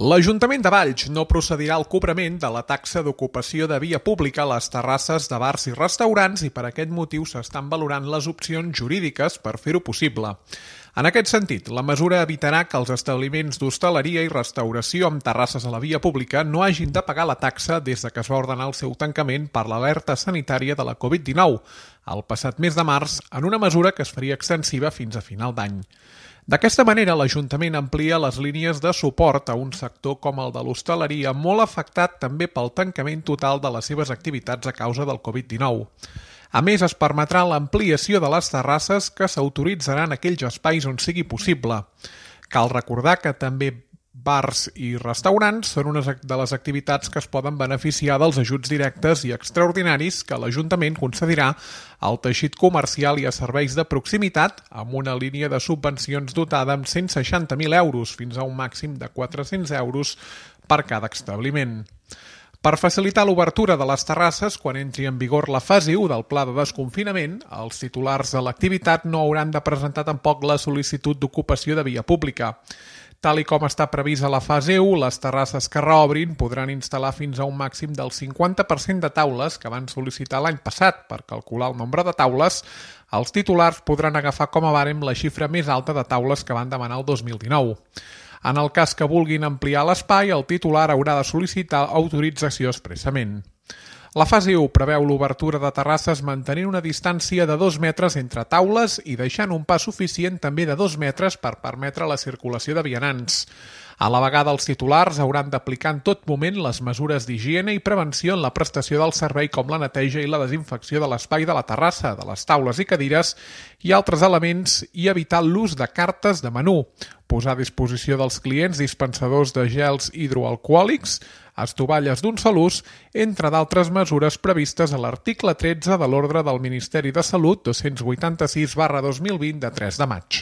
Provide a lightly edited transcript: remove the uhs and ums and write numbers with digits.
L'Ajuntament de Valls no procedirà al cobrament de la taxa d'ocupació de via pública a les terrasses de bars i restaurants i per aquest motiu s'estan valorant les opcions jurídiques per fer-ho possible. En aquest sentit, la mesura evitarà que els establiments d'hostaleria i restauració amb terrasses a la via pública no hagin de pagar la taxa des que es va ordenar el seu tancament per l'alerta sanitària de la Covid-19, el passat mes de març, en una mesura que es faria extensiva fins a final d'any. D'aquesta manera, l'Ajuntament amplia les línies de suport a un sector com el de l'hostaleria, molt afectat també pel tancament total de les seves activitats a causa del Covid-19. A més, es permetrà l'ampliació de les terrasses que s'autoritzaran aquells espais on sigui possible. Cal recordar que també bars i restaurants són una de les activitats que es poden beneficiar dels ajuts directes i extraordinaris que l'Ajuntament concedirà al teixit comercial i a serveis de proximitat amb una línia de subvencions dotada amb 160.000 euros fins a un màxim de 400 euros per cada establiment. Per facilitar l'obertura de les terrasses, quan entri en vigor la fase 1 del pla de desconfinament, els titulars de l'activitat no hauran de presentar tampoc la sol·licitud d'ocupació de via pública. Tal i com està previst a la fase 1, les terrasses que reobrin podran instal·lar fins a un màxim del 50% de taules que van sol·licitar l'any passat. Per calcular el nombre de taules, els titulars podran agafar com a bàrem la xifra més alta de taules que van demanar el 2019. En el cas que vulguin ampliar l'espai, el titular haurà de sol·licitar autorització expressament. La fase 1 preveu l'obertura de terrasses mantenint una distància de 2 metres entre taules i deixant un pas suficient també de 2 metres per permetre la circulació de vianants. A la vegada, els titulars hauran d'aplicar en tot moment les mesures d'higiene i prevenció en la prestació del servei com la neteja i la desinfecció de l'espai de la terrassa, de les taules i cadires i altres elements i evitar l'ús de cartes de menú, posar a disposició dels clients dispensadors de gels hidroalcohòlics, estovalles d'un sol ús, entre d'altres mesures previstes a l'article 13 de l'Ordre del Ministeri de Salut 286/2020 de 3 de maig.